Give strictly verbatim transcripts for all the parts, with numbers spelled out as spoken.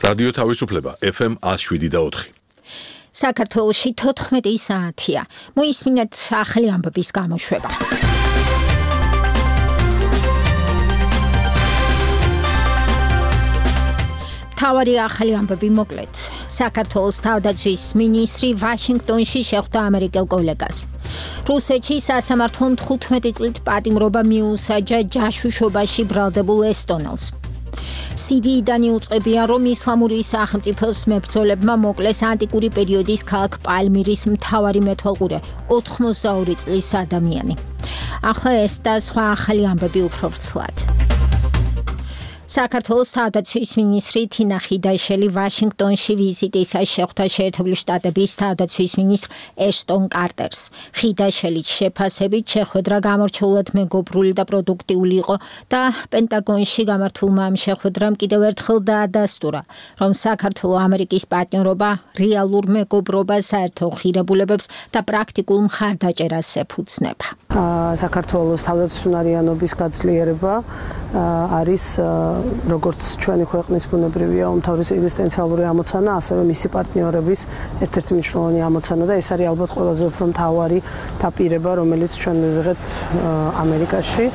რადიო თავისუფლება F M one oh seven და four. საქართველოში თოთხმეტი საათია. მოისმინეთ ახალი ამბების გამოშვება. თავარი ახალი ამბები მოკლედ. საქართველოს თავდაცვის მინისტრი ვაშინგტონში შეხვდა ამერიკელ კოლეგას. რუსეთში სასამართლომ თხუთმეტი წლით პატიმრობა მიუსაჯა ჯაშუშობაში ბრალდებულ ესტონელს. სირიიდან იუწყებია, რომ ისლამური სახელმწიფოს მებრძოლებმა მოკლეს ანტიკური პერიოდის ქალაქ პალმირის მთავარი მეთვალყურე ოთხმოცდაორი წლის ადამიანი. ახლა ეს და სხვა ახალი ამბები უფრო ვრცლად. საქართველოს თავდაცვის მინისტრი თინა ხიდაშელი ვაშინგტონში ვიზიტისას შეხვდა შეერთებული შტატების თავდაცვის მინისტრ ეშტონ კარტერს. ხიდაშელით შეფასებით შეხვედრა გამორჩეულად მეგობრული და პროდუქტიული იყო და პენტაგონში გამართულმა ამ შეხვედრამ კიდევ ერთხელ დაადასტურა, რომ საქართველო ამერიკის პარტნიორობა რეალურ მეგობრობას, საერთო ღირებულებებს და პრაქტიკულ მხარდაჭერას ეფუძნება. საქართველოს თავდაცვისუნარიანობის გაძლიერება არის როგორც ჩვენი ქვეყნის ბუნებრივია უმთავრესი ეგზისტენციალური ამოცანა, ასევე მისი პარტნიორების ერთ-ერთი მნიშვნელოვანი ამოცანა და ეს არის ალბათ ყველაზე უფრო მთავარი დაპირება, რომელიც ჩვენ მივიღეთ ამერიკაში.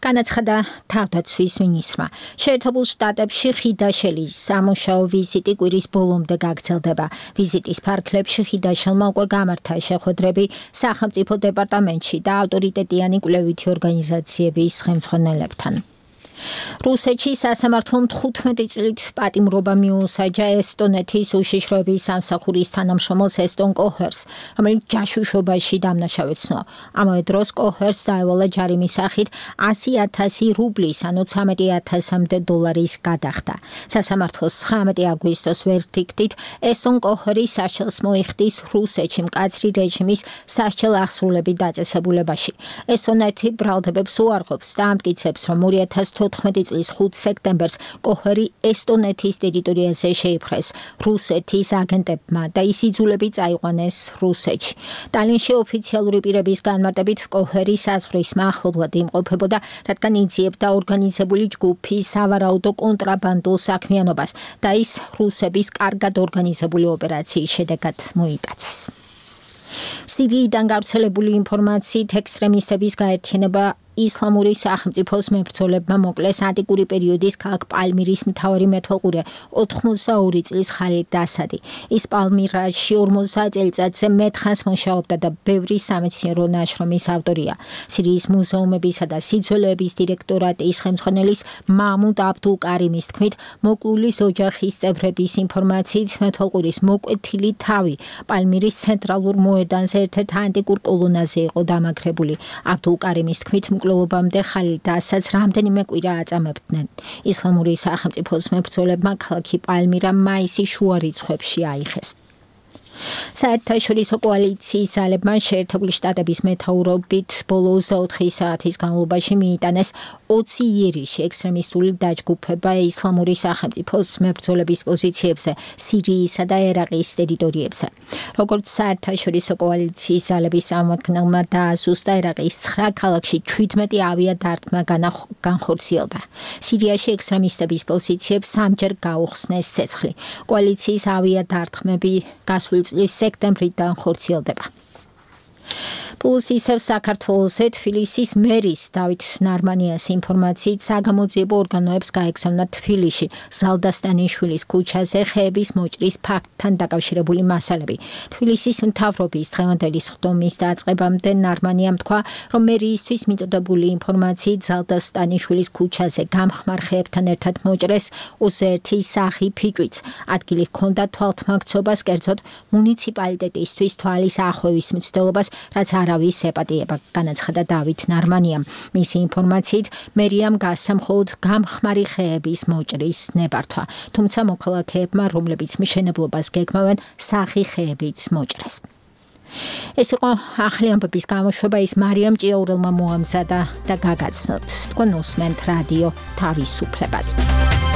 განაცხადა თავდაცვის მინისტრმა. შეერთებულ შტატებში ხიდაშელის სამუშაო ვიზიტი კვირის ბოლომდე გაგრძელდება. ვიზიტის ფარგლებში ხიდაშელმა უკვე გამართა შეხვედრები სახელმწიფო დეპარტამენტში და ავტორიტეტიანი კვლევითი ორგანიზაციების ხელმძღვანელებთან. რუსეთში სასამართლომ თხუთმეტი წლით პატიმრობა მიუსაჯა ესტონეთის უშიშროების სამსახურის თანამშრომელს ესტონ კოჰერს, რომელიც ჯაშუშობაში დამნაშავეცნო. ამავე დროს კოჰერს დაევალა ჯარიმის სახით ასი ათასი რუბლის, ანუ ცამეტი ათასამდე დოლარის გადახდა. სასამართლოს ცხრამეტი აგვისტოს ვერდიქტით ესტონ კოჰერი საშელს მოიხდის რუსეთში მკაცრი რეჟიმის სასჯელ აღსრულებით დაწესებულებაში. ესტონეთი ბრალდებებს უარყოფს და ამტკიცებს, რომ ორი ათას თოთხმეტი წლის ხუთი სექტემბერს კოჰერი ესტონეთის ტერიტორიაზე შეიპყრეს რუსეთის აგენტებმა და ის იძულები წაიყვანეს რუსეთში. ტალინში ოფიციალური პირების განმარტებით კოჰერი საზღვრის მახლობლად იმყოფებოდა, რადგან იძიებდა ორგანიზებული ჯგუფის სავარაუდო კონტრაბანდულ საქმიანობას და ის რუსების კარგად ორგანიზებული ოპერაციის შედეგად მოიტაცეს. სირიიდან გავრცელებული ინფორმაციით ექსტრემისტების გაერთიანება ისლამური სახელმწიფოს მებრძოლებმა მოკლეს ანტიკური პერიოდის ქალაქ პალმირის მთავარი მეთვალყურე ოთხმოცდაორი წლის ხალიდ ასადი. ის პალმირაში ორმოცდა წელიწადზე მეტხანს მუშაობდა და ბევრი სამეცნიერო ნაშრომის ავტორია. სირიის მუზეუმებისა და სიძველეების დირექტორატის ხელმძღვანელის მამუდ აბდულ კარიმის თქმით, მოკლულის ოჯახის წევრების ინფორმაციით მეთვალყურის მოკვეთილი თავი პალმირის ცენტრალურ მოედანზე ერთ-ერთ ანტიკურ კოლონაზე იყო დამაგრებული. აბდულ კარიმის თქმით, მკვლელობამდე ხალიდ ასადს რამდენიმე კვირა აწამებდნენ. ისლამური სახელმწიფოს მებრძოლებმა ქალაქი პალმირა მაისის შუა რიცხვებში აიხეს. საერთაშორისო კოალიციის ძალებმა შეერთებული შტატების მეთაურობით ბოლო ოცდაოთხი საათის განმავლობაში მიიტანეს ოცი იერიში ექსტრემისტული დაჯგუფება ისლამური სახელმწიფოს მებრძოლების პოზიციებზე სირიისა და ერაყის ტერიტორიებზე. როგორც საერთაშორისო კოალიციის ძალების წარმომადგენელმა დააზუსტა, ერაყის ცხრა ქალაქში ჩვიდმეტი ავიადარტყმა განხორციელდა. სირიაში ექსტრემისტების პოზიციებს სამჯერ გაუხსნეს ცეცხლი. კოალიციის ავიადარტყმები გასული წლის სექტემბრიდან ხორციელდება. პლუს ისევ საქართველოსზე თბილისის მერის დავით ნარმანიას ინფორმაციით საგამოძიებო ორგანოებს გაეგზავნა თბილისში ზალდასტანიშვილის ქუჩაზე ხეების მოჭრის ფაქტთან დაკავშირებული მასალები. თბილისის მთავრობის დღევანდელი სხდომის დაწყებამდე ნარმანიამ თქვა, რომ მერიისთვის მიწოდებული ინფორმაციით ზალდასტანიშვილის ქუჩაზე გამხმარ ხეებთან ერთად მოჭრეს ოცდაერთი სახი ფიჭვიც. ადგილი ჰქონდა თვალთმაქცობას, კერძოდ მუნიციპალიტეტისთვის თვალის ახვევის მცდელობას, რაც არავის ეპატიება, განაცხადა დავით ნარმანიამ. მისი ინფორმაციით მერიამ გასცა მხოლოდ გამხმარი ხეების მოჭრის ნებართვა, თუმცა მოქალაქეებმა, რომლებიც მშენებლობას გეგმავენ, სახი ხეებიც მოჭრეს. ეს იყო ახალი ამბების გამოშვება, ის მარიამ ჭიაურელმა მოამზადა და გაგაცნოთ. თქვენ უსმენთ რადიო თავისუფლებას.